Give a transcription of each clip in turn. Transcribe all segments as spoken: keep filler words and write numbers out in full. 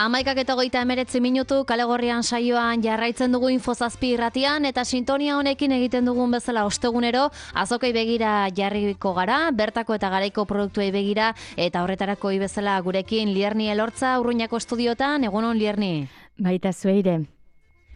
Hamaikak eta hogeita hemeretzi minutu kalegorrian saioan jarraitzen dugu Infozazpi irratian eta sintonia honekin egiten dugun bezala ostegunero azokei begira jarriko gara, bertako eta garaiko produktuei begira eta horretarako bezala gurekin Lierni Elortza Urruñako estudiotan. Egunon Lierni. Baita zueire.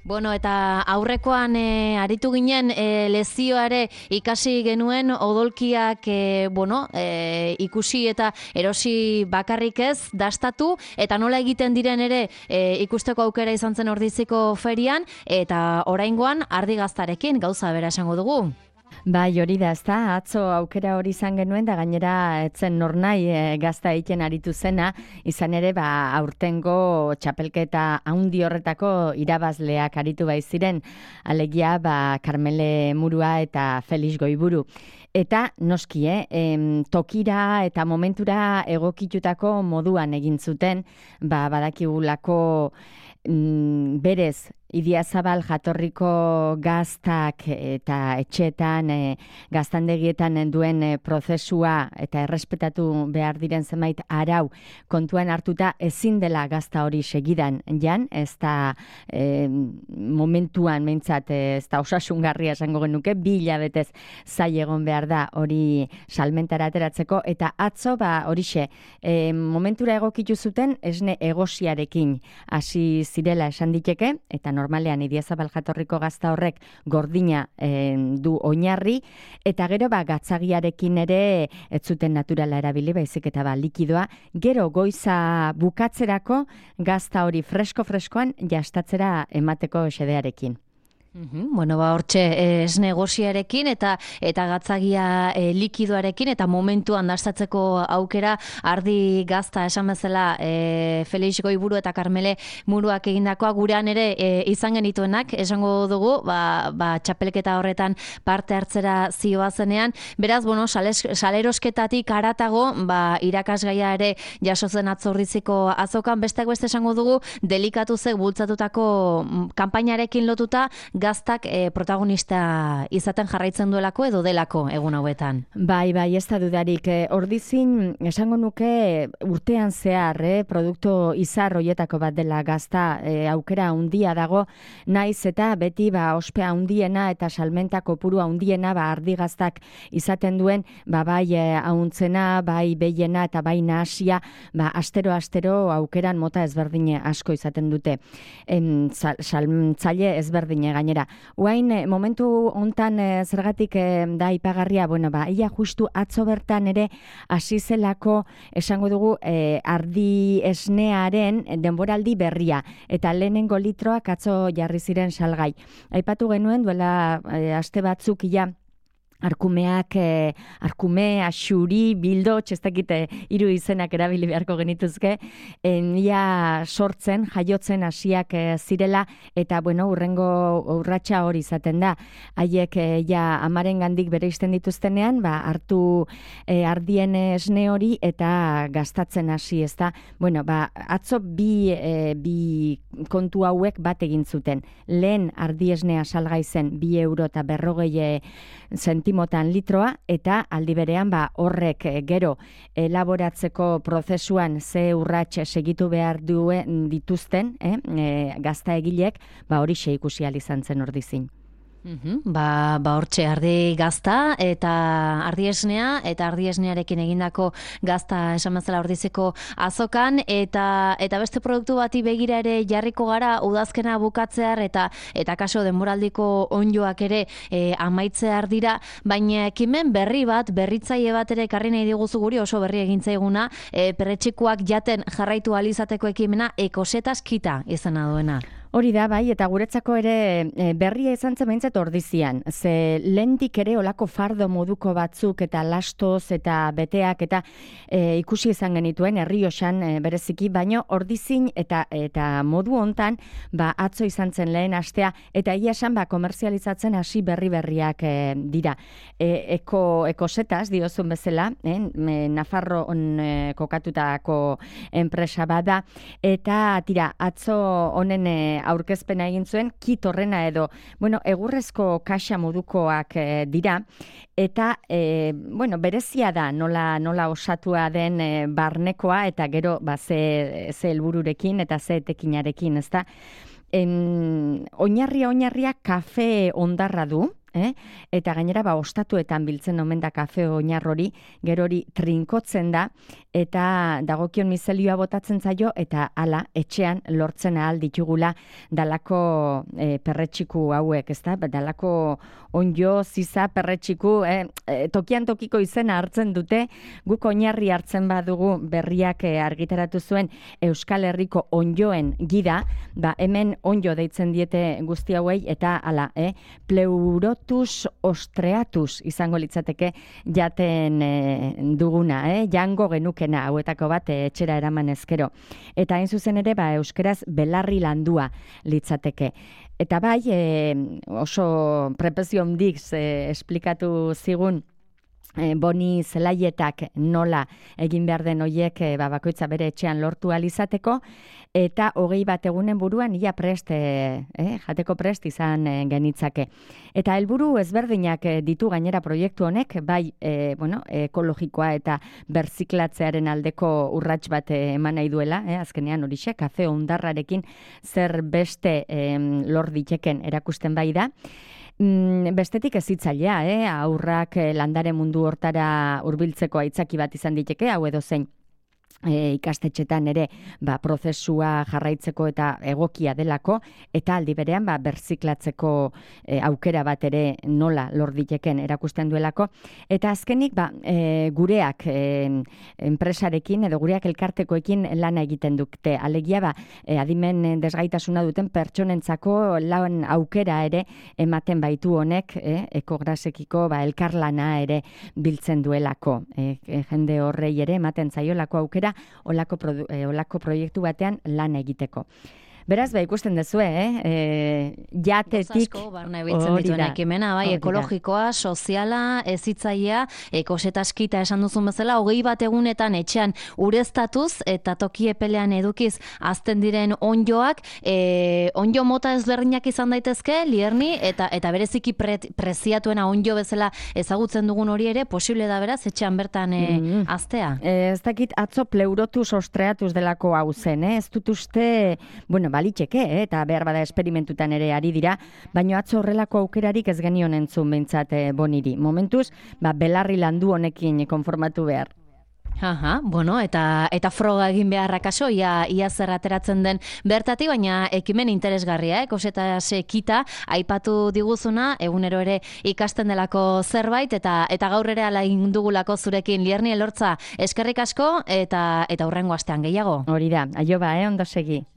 Bueno, eta aurrekoan e, aritu ginen e, lezioare ikasi genuen odolkiak e, bueno, e, ikusi eta erosi bakarrik ez dastatu eta nola egiten diren ere e, ikusteko aukera izan zen Ordiziko ferian eta oraingoan ardigaztarekin gauza bera esango dugu. Bai, hori da, ezta, atzo aukera hori izan genuen, da gainera etzen nornai e, gazta egiten aritu zena, izan ere, ba, aurtengo txapelketa haundi horretako irabazleak aritu bai ziren, alegia, ba, Karmele Murua eta Felix Goiburu. Eta noski, eh, em, tokira eta momentura egokitutako moduan egin zuten, ba, badakigulako mm, berez, Idiazabal jatorriko gaztak eta etxeetan, e, gaztandegietan duen e, prozesua eta errespetatu behar diren zenbait arau kontuan hartuta ezin dela gazta hori segidan jan, ez da e, momentuan meintzat ez da osasungarria esango genuke, bi hilabetez zai egon behar da hori salmentara ateratzeko eta atzo ba horixe, e, momentura egokitu zuten esne egosiarekin hasi zirela esan diteke eta normalean Idiazabal jatorriko gazta horrek gordina e, du oinarri eta gero ba gatzagiarekin ere ez zuten naturala erabili baizik eta ba likidoa gero goiza bukatzerako gazta hori fresko-freskoan jastatzera emateko xedearekin. Uhum, bueno, ba, hortxe ez negosiarekin eta eta gatzagia e, likidoarekin eta momentuan dastatzeko aukera ardi gazta esan bezala e, Felix Goiburu eta Karmele Muruak egindakoa gurean ere e, izan genituenak esango dugu, ba, ba, txapelketa horretan parte hartzera zioazenean. Beraz, bueno, sales, salerosketatik aratago, ba, irakasgaia ere jasotzen atzordiziko azokan, besteak beste esango dugu, delikatu zek bultzatutako kanpainarekin lotuta gaztak e, protagonista izaten jarraitzen duelako edo delako egun hauetan. Bai, bai, ez da dudarik. E, ordizin, esango nuke urtean zehar, eh, produktu izar hoietako bat dela gazta e, aukera handia dago, naiz eta beti ba, ospea handiena eta salmenta kopuru handiena ba, ardi gaztak izaten duen, ba, bai e, ahuntzena, bai behiena eta bai nahasia, ba, astero-astero aukeran mota ezberdine asko izaten dute. Em, sal, saltzaile ezberdine gainera. Uain, momentu hontan e, zergatik e, da ipagarria, bueno, ba, ia justu atzo bertan ere hasi zelako esango dugu e, ardi esnearen denboraldi berria eta lehenengo litroak atzo jarri ziren salgai. Aipatu genuen duela e, aste batzuk ia arkumeak, eh, arkume, axuri, bildo, txestakite hiru izenak erabili beharko genituzke, ia sortzen, jaiotzen hasiak eh, zirela, eta bueno, urrengo urratsa hori izaten da. Haiek eh, ja amaren gandik bere izten dituztenean, ba, hartu eh, ardien esne hori eta gastatzen hasi, ez da. Bueno, ba, atzo bi, eh, bi kontu hauek bat egin zuten. Lehen ardi esnea salgai zen bi euro eta berrogei sentimotan litroa eta aldi berean ba horrek e, gero elaboratzeko prozesuan ze urrats segitu behar duen dituzten, eh, e, gazta egilek, ba hori xe ikusi ahal izan zen Ordizin. Uhum, ba, ba hortxe ardi gazta eta ardi esnea eta ardi esnearekin egindako gazta esan bezala Ordiziko azokan eta eta beste produktu bati begira ere jarriko gara udazkena bukatzear eta eta kaso denboraldiko onjoak ere e, amaitzear dira, baina ekimen berri bat, berritzaile bat ere ekarri nahi diguzu guri oso berri egintzaiguna, e, perretxikoak jaten jarraitu ahal izateko ekimena ekosetas kita izena duena. Hori da, bai, eta guretzako ere e, berria izan zen behintzat Ordizian. Ze lentik ere olako fardo moduko batzuk eta lastoz eta beteak eta e, ikusi izan genituen Errioxan e, bereziki, baino Ordizin eta eta modu hontan ba, atzo izan zen lehen astea eta ia esan ba, komerzializatzen hasi berri berriak e, dira. E, eko, ekosetas, diozun bezala, eh, Nafarro on e, kokatutako enpresa bada eta tira, atzo honen e, aurkezpena egin zuen, kit horrena edo, bueno, egurrezko kaxa modukoak e, dira, eta, e, bueno, berezia da nola, nola osatua den e, barnekoa, eta gero, ba, ze, ze helbururekin eta ze etekinarekin, ezta? En, oinarria, oinarria, kafe ondarra du, Eh? Eta gainera ba ostatuetan biltzen omen da kafe oinar hori, gero hori trinkotzen da eta dagokion mizelioa botatzen zaio eta hala etxean lortzen ahal ditugula dalako e, perretxiku hauek, ezta? Dalako onjo, ziza, perretxiku, eh? e, tokian tokiko izena hartzen dute, guk oinarri hartzen badugu berriak e, argitaratu zuen Euskal Herriko onjoen gida, ba hemen onjo deitzen diete guzti hauei eta hala, eh? Pleuro ostreatus izango litzateke jaten e, duguna, eh? Jango genukena hauetako bat e, etxera eraman ezkero. Eta hain zuzen ere, ba, euskeraz belarri landua litzateke. Eta bai, e, oso prepezio hondik e, esplikatu zigun E, boni zelaietak nola egin behar den hoiek e, ba, bakoitza bere etxean lortu alizateko, eta hogei bat egunen buruan ia prest, e, eh, jateko prest izan e, genitzake. Eta helburu ezberdinak e, ditu gainera proiektu honek, bai e, bueno, ekologikoa eta berziklatzearen aldeko urrats bat e, eman nahi duela, eh, azkenean horixe, kafe ondarrarekin zer beste e, lor diteken erakusten bai da. Bestetik ez hitzailea, eh? Aurrak landare mundu hortara hurbiltzeko aitzaki bat izan diteke, hau edo zein E, ikastetxetan ere ba, prozesua jarraitzeko eta egokia delako, eta aldi berean ba, berziklatzeko e, aukera bat ere nola lor diteken erakusten duelako. Eta azkenik ba, e, gureak e, enpresarekin edo gureak elkartekoekin lana egiten dute. Alegia ba, e, adimen desgaitasuna duten pertsonentzako lan aukera ere ematen baitu honek, e, ekograsekiko ba, elkarlana ere biltzen duelako. E, e, jende horrei ere ematen zaiolako aukera olako, produ, eh, olako proiektu batean lan egiteko. Beraz, ba, ikusten dezue, eh? E, jatetik... Gozasko, barna ebiltzen dituen ekimena, bai, ekologikoa, soziala, ezitzaia, ekosetaskita esan duzun bezala, hogei bat egunetan etxean ureztatuz eta toki epelean edukiz azten diren onjoak, e, onjo mota ezberdinak izan daitezke, Lierni, eta eta bereziki pre, preziatuena onjo bezala ezagutzen dugun hori ere, posible da beraz, etxean bertan e, mm. aztea. E, ez dakit atzo pleurotus ostreatuz delako hau zen, eh? Ez dut uste, bueno, balitxeke, eh? Eta behar bada esperimentutan ere ari dira, baina atzo horrelako aukerarik ez genion entzun behintzat eh, boniri. Momentuz, ba, belarri landu honekin konformatu behar. Aha, bueno, eta eta froga egin beharra kaso, ia, ia zer ateratzen den bertatik, baina ekimen interesgarria, eh? Koseta sekita, aipatu diguzuna, egunero ere ikasten delako zerbait, eta eta gaur ere ala indugulako zurekin, Lierni Elortza, eskerrik asko, eta eta hurrengo astean gehiago. Hori da, aio ba, eh? Ondo segi.